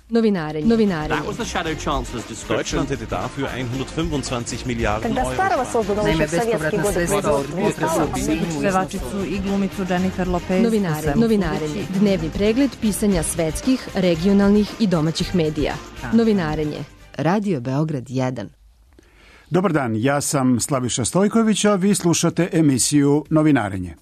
Novinarenje. That was the shadow chancellor's description. Deutschland hätte dafür 125 Milijarden Когда Euro. Старого создано еще в советские годы производства. Pevačicu i glumicu Jennifer Lopez. Novinarenje. Dnevni pregled pisanja svetskih, regionalnih i domaćih medija. Novinarenje. Radio Beograd 1. Dobar dan, ja sam Slaviša Stojković, a vi slušate emisiju Novinarenje.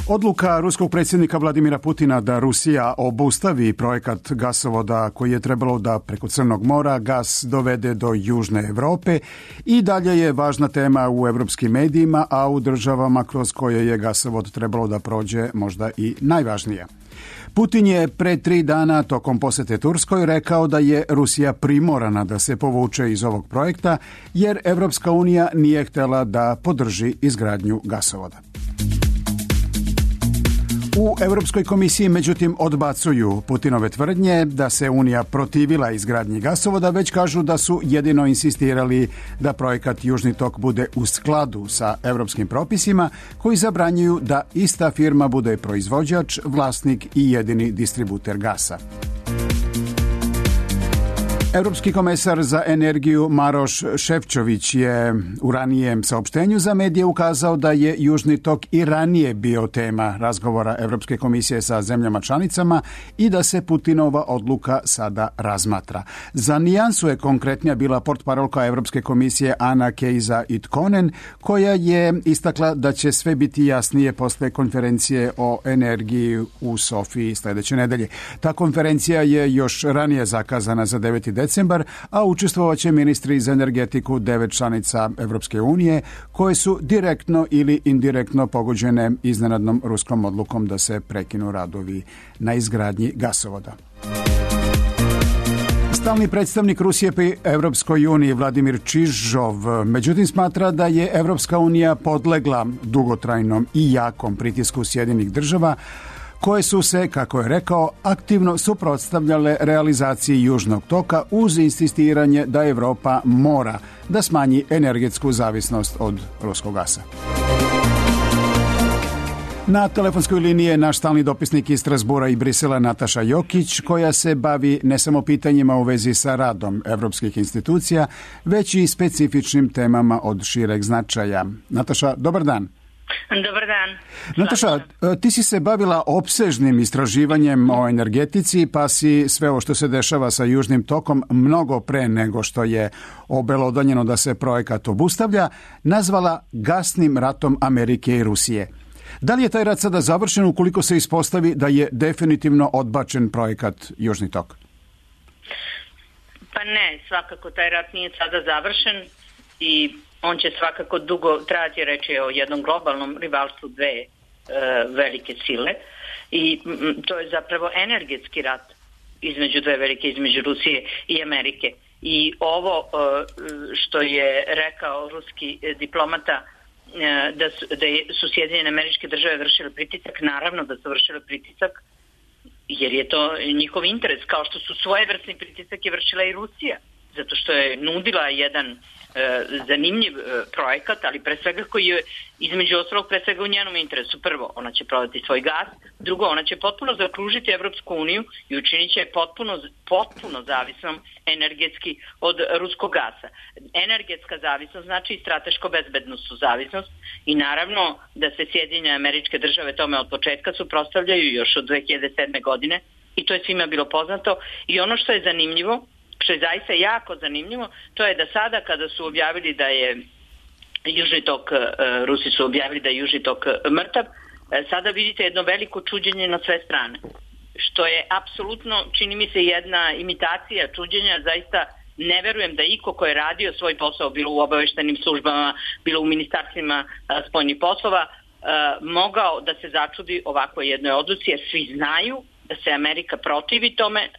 Odluka ruskog predsjednika Vladimira Putina da Rusija obustavi projekat gasovoda koji je trebalo da preko Crnog mora gas dovede do Južne Europe i dalje je važna tema u evropskim medijima, a u državama kroz koje je gasovod trebalo da prođe možda i najvažnija. Putin je pre 3 dana tokom posete Turskoj rekao da je Rusija primorana da se povuče iz ovog projekta jer Evropska unija nije htjela da podrži izgradnju gasovoda. U Europskoj komisiji, međutim, odbacuju Putinove tvrdnje da se Unija protivila izgradnji gasovoda, već kažu da su jedino insistirali da projekat Južni tok bude u skladu sa europskim propisima koji zabranjuju da ista firma bude proizvođač, vlasnik i jedini distributer gasa. Europski komesar za energiju Maroš Šefčović je u ranijem saopštenju za medije ukazao da je Južni tok i ranije bio tema razgovora Europske komisije sa zemljama članicama i da se Putinova odluka sada razmatra. Za nijansu je konkretnija bila portparolka Europske komisije Ana Kejza Itkonen, koja je istakla da će sve biti jasnije posle konferencije o energiji u Sofiji sljedeće nedelje. Ta konferencija je još ranije zakazana za 9. decembar, a učestvovaće ministri za energetiku 9 članica Evropske unije, koje su direktno ili indirektno pogođene iznenadnom ruskom odlukom da se prekinu radovi na izgradnji gasovoda. Stalni predstavnik Rusije pri Evropskoj uniji Vladimir Čižov, međutim, smatra da je Evropska unija podlegla dugotrajnom i jakom pritisku Sjedinjenih država, koje su se, kako je rekao, aktivno suprotstavljale realizaciji Južnog toka uz insistiranje da Evropa mora da smanji energetsku zavisnost od ruskog gasa. Na telefonskoj liniji je naš stalni dopisnik iz Strasbura i Brisela Nataša Jokić, koja se bavi ne samo pitanjima u vezi sa radom evropskih institucija, već i specifičnim temama od šireg značaja. Nataša, dobar dan. Dobar dan. Nataša, ti si se bavila opsežnim istraživanjem o energetici, pa si sve ovo što se dešava sa Južnim tokom mnogo pre nego što je obelodanjeno da se projekat obustavlja, nazvala gasnim ratom Amerike i Rusije. Da li je taj rat sada završen ukoliko se ispostavi da je definitivno odbačen projekat Južni tok? Pa ne, svakako taj rat nije sada završen i on će svakako dugo trajati, reći je o jednom globalnom rivalstvu dve velike sile i to je zapravo energetski rat između dve velike, između Rusije i Amerike. I ovo što je rekao ruski diplomata da su Sjedinjene Američke Države vršile pritisak, naravno da su vršile pritisak jer je to njihov interes, kao što su svojevrsni pritisak je vršila i Rusija, zato što je nudila jedan zanimljiv projekat, ali pre svega koji je između ostalog pre svega u njenom interesu. Prvo, ona će prodati svoj gas, drugo, ona će potpuno zaokružiti Evropsku uniju i učinit će potpuno zavisnom energetski od ruskog gasa. Energetska zavisnost znači i strateško-bezbednostnu zavisnost i naravno da se Sjedinjene Američke Države tome od početka suprotstavljaju još od 2007. godine i to je svima bilo poznato. I ono što je zanimljivo, što je zaista jako zanimljivo, to je da sada kada su objavili da je Južni tok, Rusi su objavili da je Južni tok mrtav, sada vidite jedno veliko čuđenje na sve strane. Što je apsolutno, čini mi se, jedna imitacija čuđenja, zaista ne verujem da iko ko je radio svoj posao, bilo u obaveštajnim službama, bilo u ministarstvima spoljnih poslova, mogao da se začudi ovakvoj jednoj odluci, jer svi znaju da se Amerika protivi tome,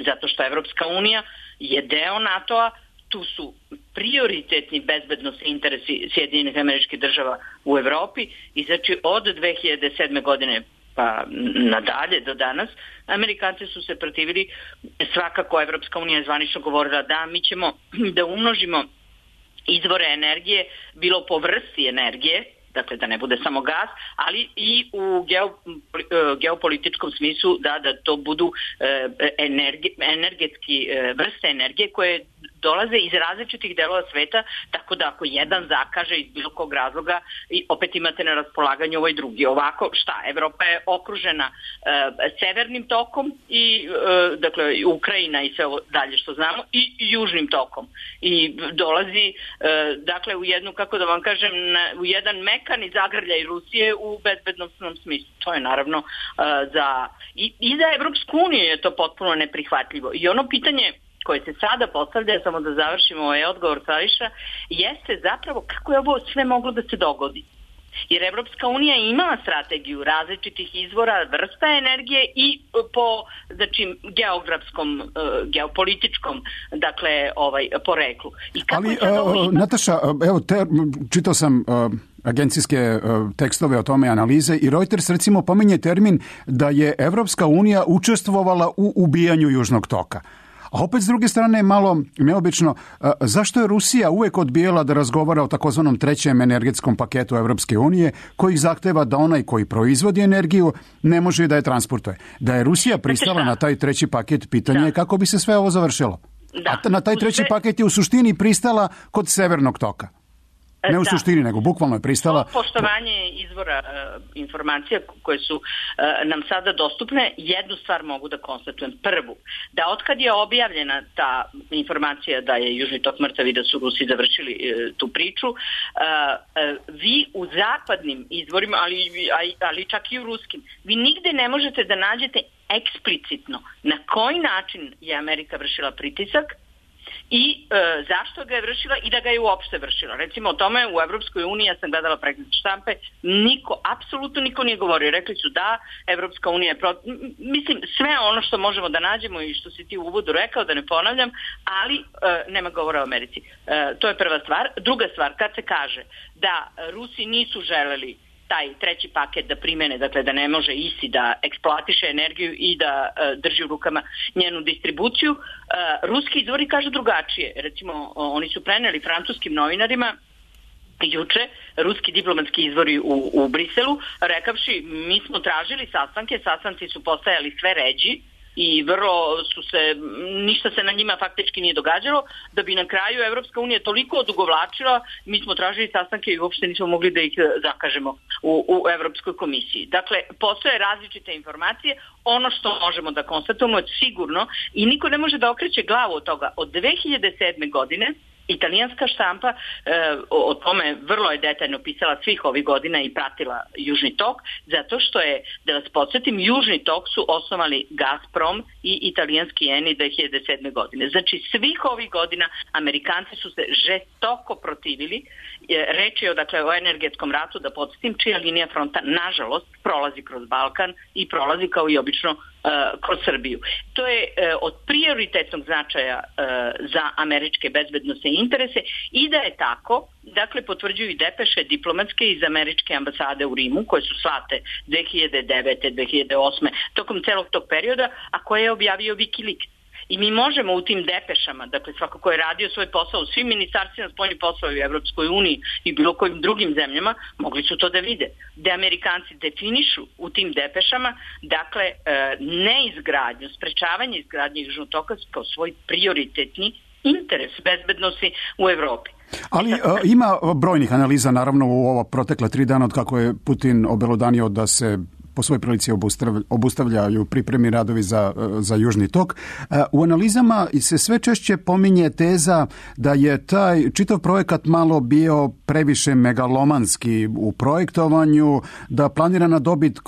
zato što Evropska unija je deo NATO-a, tu su prioritetni bezbednosni interesi Sjedinjenih Američkih Država u Evropi i znači od 2007. godine pa nadalje do danas Amerikanci su se protivili. Svakako Evropska unija je zvanično govorila da mi ćemo da umnožimo izvore energije, bilo po vrsti energije, dakle da ne bude samo gas, ali i u geopolitičkom smislu da to budu energetski vrste energije koje dolaze iz različitih delova sveta, tako da ako jedan zakaže iz bilo kog razloga, i opet imate na raspolaganju ovaj drugi. Ovako, Evropa je okružena severnim tokom i dakle Ukrajina i sve ovo dalje što znamo i južnim tokom. I dolazi dakle u jednu, kako da vam kažem, u jedan mekani zagrljaj Rusije u bezbednosnom smislu. To je naravno i za Evropsku uniju je to potpuno neprihvatljivo. I ono pitanje koje se sada postavlja, samo da završimo ovaj odgovor Slaviša, jeste zapravo kako je ovo sve moglo da se dogodi. Jer Evropska unija imala strategiju različitih izvora, vrsta energije i po geografskom, geopolitičkom, dakle, poreklu. I kako Nataša, evo, čitao sam agencijske tekstove o tome, analize, i Reuters recimo pominje termin da je Evropska unija učestvovala u ubijanju Južnog toka. A opet s druge strane je malo neobično, zašto je Rusija uvek odbijala da razgovara o takozvanom trećem energetskom paketu Evropske unije, koji zahteva da onaj koji proizvodi energiju ne može da je transportuje. Da je Rusija pristala na taj treći paket, pitanje je kako bi se sve ovo završilo. A na taj treći paket je u suštini pristala kod Severnog toka. Ne u suštini, nego bukvalno je pristala. Poštovanje izvora informacija koje su nam sada dostupne, jednu stvar mogu da konstatujem. Prvu, da otkad je objavljena ta informacija da je Južni tok mrtav i da su Rusi završili tu priču, vi u zapadnim izvorima, ali čak i u ruskim, vi nigde ne možete da nađete eksplicitno na koji način je Amerika vršila pritisak i zašto ga je vršila i da ga je uopšte vršila. Recimo o tome u Evropskoj uniji, ja sam gledala pregled štampe, apsolutno niko nije govorio. Rekli su da, Evropska unija je mislim, sve ono što možemo da nađemo i što si ti u uvodu rekao, da ne ponavljam, ali nema govora o Americi. To je prva stvar. Druga stvar, kad se kaže da Rusi nisu želeli taj treći paket da primene, dakle da ne može ISI da eksploatiše energiju i da drži u rukama njenu distribuciju, ruski izvori kažu drugačije. Recimo, oni su preneli francuskim novinarima juče, ruski diplomatski izvori u Briselu, rekavši mi smo tražili sastanci su postajali sve ređi i ništa se na njima faktički nije događalo, da bi na kraju Evropska unija toliko odugovlačila, mi smo tražili sastanke i uopšte nismo mogli da ih zakažemo u Evropskoj komisiji. Dakle, postoje različite informacije, ono što možemo da konstatujemo je sigurno i niko ne može da okreće glavu od toga. Od 2007. godine italijanska štampa o tome vrlo je detaljno pisala svih ovih godina i pratila Južni tok, zato što je, da vas podsjetim, Južni tok su osnovali Gazprom i italijanski Eni 2007. godine. Znači svih ovih godina Amerikanci su se žestoko protivili. Reč je o energetskom ratu, da podsjetim, čija linija fronta nažalost prolazi kroz Balkan i prolazi kao i obično kroz Srbiju. To je od prioritetnog značaja za američke bezbednosne interese i da je tako, dakle potvrđuju i depeše diplomatske iz američke ambasade u Rimu, koje su slate 2009. 2008. tokom celog tog perioda, a koje je objavio Wikileaks. I mi možemo u tim depešama, dakle svako ko je radio svoj posao u svim ministarstvima spoljnih poslova u Evropskoj uniji i bilo kojim drugim zemljama, mogli su to da vide. Da Amerikanci definišu u tim depešama, dakle, neizgradnju, sprečavanje izgradnje Južnog toka kao svoj prioritetni interes bezbednosti u Evropi. Ali ima brojnih analiza, naravno, u ova protekla 3 dana od kako je Putin obelodanio da se po svoj prilici obustavljaju pripremi radovi za Južni tok. U analizama se sve češće pominje teza da je taj čitav projekat malo bio previše megalomanski u projektovanju, da planirana dobit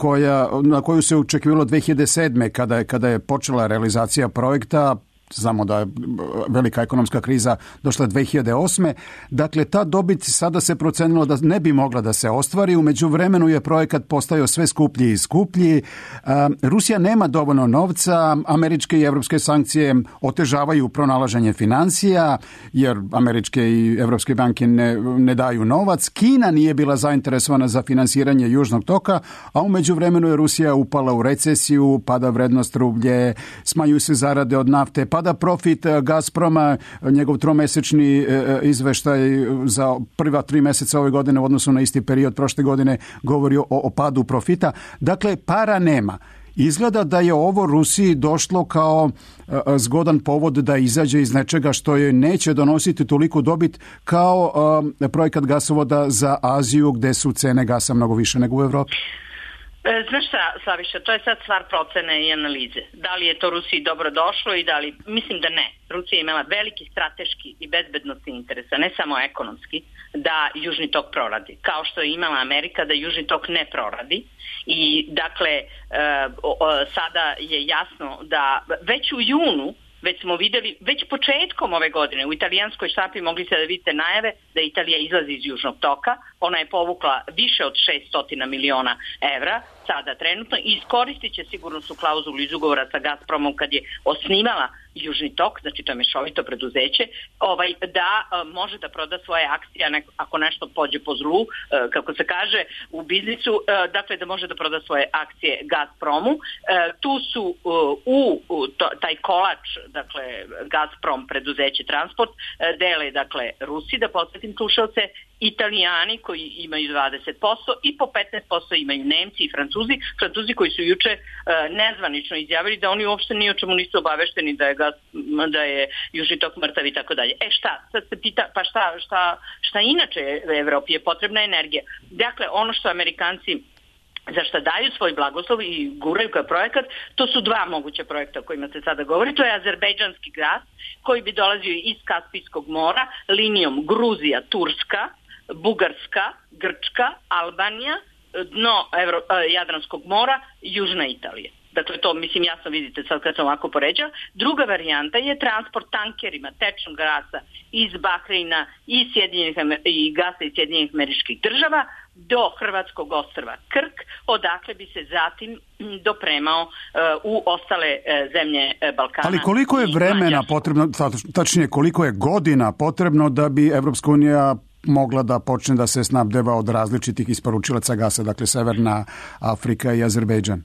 na koju se očekivalo 2007. kada je počela realizacija projekta, znamo da je velika ekonomska kriza došla 2008. Dakle, ta dobit sada se procenilo da ne bi mogla da se ostvari. U međuvremenu je projekat postajao sve skuplji i skuplji. Rusija nema dovoljno novca, američke i evropske sankcije otežavaju pronalaženje financija, jer američke i evropske banke ne daju novac. Kina nije bila zainteresovana za finansiranje Južnog toka, a u međuvremenu je Rusija upala u recesiju, pada vrednost rublje, smanjuju se zarade od nafte, pada pada profit Gazproma, njegov tromesečni izveštaj za prva 3 mjeseca ove godine u odnosu na isti period prošle godine govori o padu profita. Dakle, para nema. Izgleda da je ovo Rusiji došlo kao zgodan povod da izađe iz nečega što je neće donositi toliko dobit kao projekat gasovoda za Aziju gdje su cene gasa mnogo više nego u Evropi. Znaš šta, Slaviša, to je sad stvar procene i analize. Da li je to Rusiji dobro došlo i da li... Mislim da ne. Rusija je imala veliki strateški i bezbednosni interesa, ne samo ekonomski, da Južni tok proradi. Kao što je imala Amerika da Južni tok ne proradi. I dakle, sada je jasno da već u junu, već smo vidjeli, već početkom ove godine u italijanskoj štampi mogli ste da vidite najave da Italija izlazi iz Južnog toka. Ona je povukla više od 600 miliona evra sada trenutno i iskoristit će sigurnosnu klauzulu iz ugovora sa Gazpromom kad je osnivala Južni tok, znači to je mešovito preduzeće, da može da proda svoje akcije ako nešto pođe po zlu, kako se kaže u biznisu, dakle da može da proda svoje akcije Gazpromu. Tu su taj kolač, dakle Gazprom preduzeće Transport, dele dakle Rusi, da podsjetim slušalce, Italijani koji imaju 20% i po 15% imaju Nemci i Francuzi koji su juče nezvanično izjavili da oni uopšte ni o čemu nisu obavešteni da je Južni tok mrtav i tako dalje. Šta? Sad se pita, pa šta inače Evropi je potrebna energija. Dakle, ono što Amerikanci za šta daju svoj blagoslov i guraju kao projekat, to su dva moguća projekta o kojima se sada govori. To je azerbejdžanski gas koji bi dolazio iz Kaspijskog mora linijom Gruzija, Turska, Bugarska, Grčka, Albanija, dno Jadranskog mora, Južna Italija. Dakle, to mislim jasno vidite sad kad sam ovako poređala. Druga varijanta je transport tankerima tečnog gasa iz Bahreina i gasa iz Sjedinjenih Američkih Država do hrvatskog ostrva Krk, odakle bi se zatim dopremao u ostale zemlje Balkana. Ali koliko je vremena potrebno, tačnije koliko je godina potrebno da bi Evropska unija mogla da počne da se snabdeva od različitih isporučilaca gasa, dakle Severna Afrika i Azerbejdžan?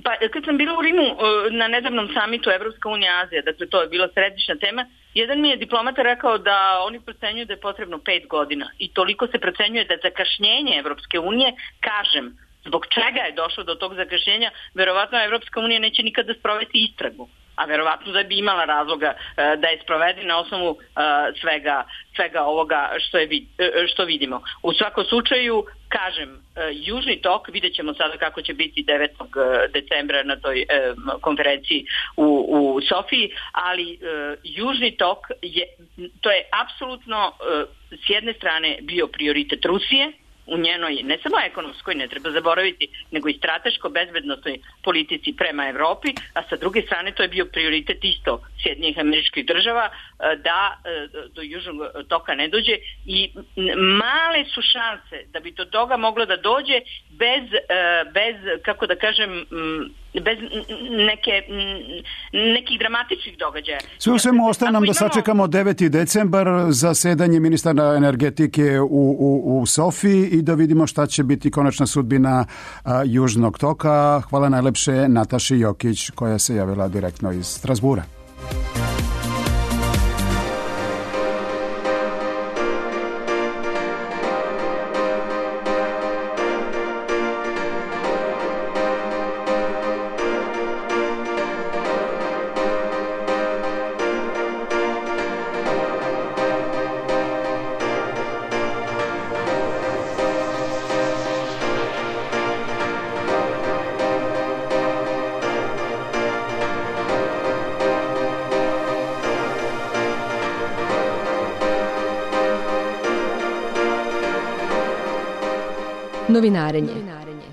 Pa kad sam bila u Rimu na nedavnom samitu Evropska unija Azija, dakle to je bila središnja tema, jedan mi je diplomata rekao da oni procenjuju da je potrebno 5 godina i toliko se procenjuje da zakašnjenje Evropske unije, kažem, zbog čega je došlo do tog zakašnjenja, verovatno Evropska unija neće nikada sprovesti istragu, a verovatno da bi imala razloga da je sprovede na osnovu svega ovoga što vidimo. U svakom slučaju, kažem, Južni tok, vidjet ćemo sada kako će biti 9. decembra na toj konferenciji u Sofiji, ali Južni tok to je apsolutno s jedne strane bio prioritet Rusije, u njenoj, ne samo ekonomskoj, ne treba zaboraviti, nego i strateško-bezbednostnoj politici prema Evropi, a sa druge strane to je bio prioritet isto Sjedinjenih Američkih Država da do Južnog toka ne dođe i male su šanse da bi do toga moglo da dođe bez kako da kažem, bez nekih dramatičnih događaja. Sve u svemu ostaje nam da sačekamo 9. decembar zasedanje ministara energetike u Sofiji i da vidimo šta će biti konačna sudbina Južnog toka. Hvala najlepše Nataši Jokić koja se javila direktno iz Strasbura. Novinarenje.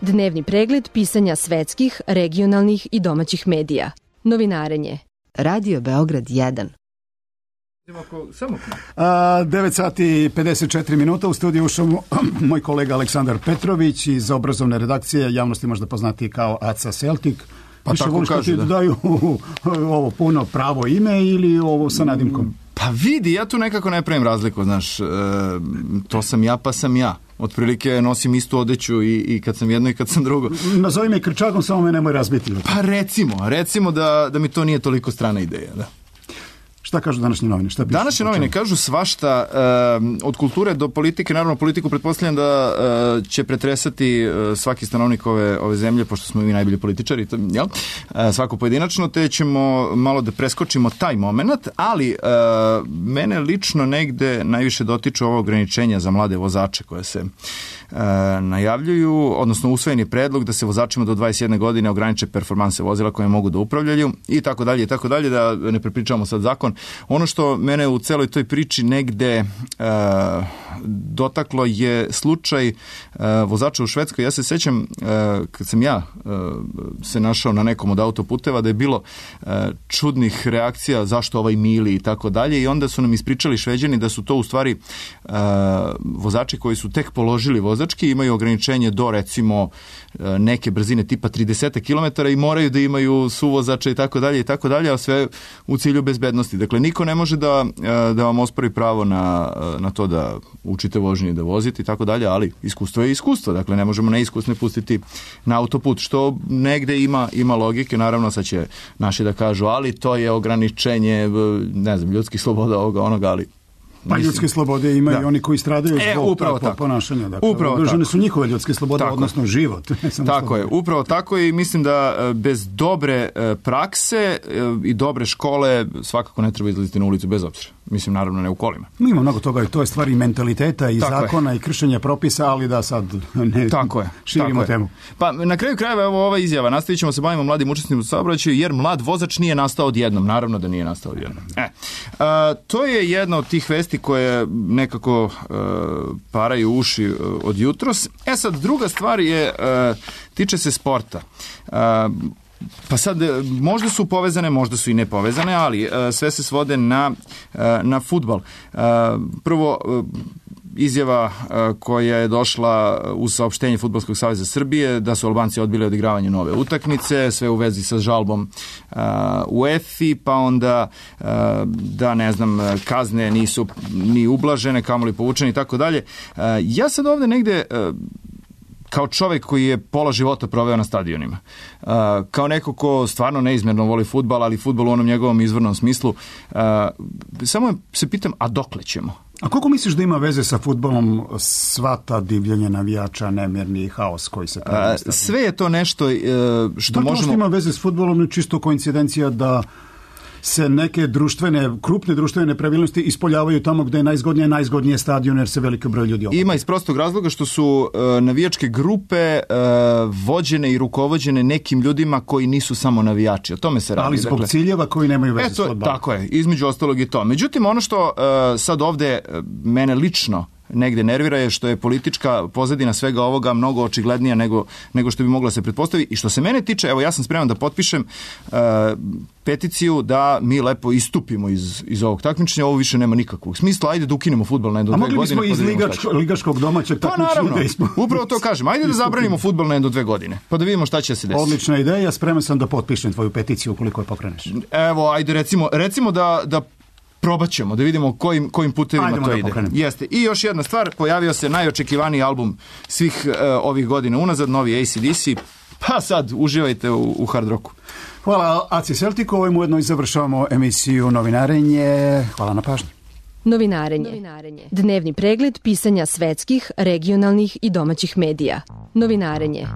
Dnevni pregled pisanja svetskih, regionalnih i domaćih medija. Novinarenje. Radio Beograd 1. 9 sati i 54 minuta u studiju ušao moj kolega Aleksandar Petrović iz obrazovne redakcije, javnosti možda poznati kao Aca Celtic. Pa tako kažu, da. Daju ovo puno pravo ime ili ovo sa nadimkom? Pa vidi, ja tu nekako ne pravim razliku, znaš, to sam ja pa sam ja. Otprilike nosim istu odeću i kad sam jedno i kad sam drugo. Nazovi me krčakom, samo me nemoj razbiti. Pa recimo da mi to nije toliko strana ideja, da. Šta kažu današnje novine? Šta pišu? Današnje novine kažu svašta, od kulture do politike. Naravno, politiku pretpostavljam da će pretresati svaki stanovnik ove zemlje, pošto smo mi najbolji političari, jel? Svako pojedinačno, te ćemo malo da preskočimo taj moment, ali mene lično negde najviše dotiču ovo ograničenja za mlade vozače koje se najavljuju, odnosno usvojen je predlog da se vozačima do 21 godine ograniče performanse vozila koje mogu da upravljaju i tako dalje, da ne prepričavamo sad zakon. Ono što mene u celoj toj priči negde dotaklo je slučaj vozača u Švedskoj. Ja se sećam kad sam ja se našao na nekom od autoputeva da je bilo čudnih reakcija zašto ovaj mili i tako dalje, i onda su nam ispričali Šveđani da su to u stvari vozači koji su tek položili vozački, imaju ograničenje do recimo neke brzine tipa 30 km i moraju da imaju suvozača i tako dalje, a sve u cilju bezbednosti. Dakle, niko ne može da vam ospori pravo na to da učite vožnju i da vozite i tako dalje, ali iskustvo je iskustvo. Dakle, ne možemo neiskusne pustiti na autoput, što negde ima logike. Naravno, sad će naši da kažu, ali to je ograničenje, ne znam, ljudskih sloboda ovoga, onoga, ali pa ljudske slobode imaju oni koji stradaju zbog takvog ponašanja. Dakle, ugrožene su njihove ljudske slobode, odnosno život. Tako je, upravo tako, i mislim da bez dobre prakse i dobre škole svakako ne treba izlaziti na ulicu bez obzira. Mislim, naravno, ne u kolima. Ima mnogo toga i to je stvar i mentaliteta i zakona i kršenja propisa, ali da sad ne širimo temu. Pa na kraju krajeva, evo ova izjava, nastavit ćemo se bavimo mladim učesnicima u saobraćaju, jer mlad vozač nije nastao odjednom. Naravno da nije nastao odjednom. To je jedna od tih vesti koje nekako paraju uši od jutros. Sad, druga stvar je, tiče se sporta. Pa sad, možda su povezane, možda su i ne povezane, ali sve se svode na fudbal. Prvo, izjava koja je došla uz saopštenje Fudbalskog saveza Srbije da su Albanci odbili odigravanje nove utakmice, sve u vezi sa žalbom UEFA, pa onda da, ne znam, kazne nisu ni ublažene, kamoli povučene i tako dalje. Ja sad ovde negde, kao čovjek koji je pola života proveo na stadionima, kao neko ko stvarno neizmjerno voli fudbal, ali fudbal u onom njegovom izvornom smislu, samo se pitam, a dokle ćemo? A koliko misliš da ima veze sa fudbalom sva ta divljenja navijača, nemirni haos koji se pravi? Sve je to nešto što možemo... Što ima veze s fudbalom, je čisto koincidencija da se neke krupne društvene nepravilnosti ispoljavaju tamo gde je najzgodnije stadion, jer se veliki broj ljudi okuplja. Ima iz prostog razloga što su navijačke grupe vođene i rukovođene nekim ljudima koji nisu samo navijači. O tome se radi. Ali zbog ciljeva koji nemaju veze s fudbalom. Tako je, između ostalog i to. Međutim, ono što sad ovde mene lično negde nervira je što je politička pozadina svega ovoga mnogo očiglednija nego što bi mogla se pretpostaviti. I što se mene tiče, evo, ja sam spreman da potpišem peticiju da mi lepo istupimo iz ovog takmičenja. Ovo više nema nikakvog smisla. Ajde da ukinemo fudbal na jedno 2 godine. A mogli bismo iz ligaškog domaćeg takmičenja. Pa naravno, upravo to kažem. Ajde da zabranimo fudbal na jedno 2 godine. Pa da vidimo šta će se desiti. Odlična ideja, spreman sam da potpišem tvoju peticiju ukoliko je pokreneš. Evo, ajde recimo da probat ćemo, da vidimo kojim putevima to ide. Jeste. I još jedna stvar, pojavio se najočekivaniji album svih ovih godina unazad, novi AC/DC, pa sad uživajte u hard rocku. Hvala AC Celticu, ovim ujedno i završavamo emisiju Novinarenje. Hvala na pažnji. Novinarenje. Dnevni pregled pisanja svetskih, regionalnih i domaćih medija. Novinarenje.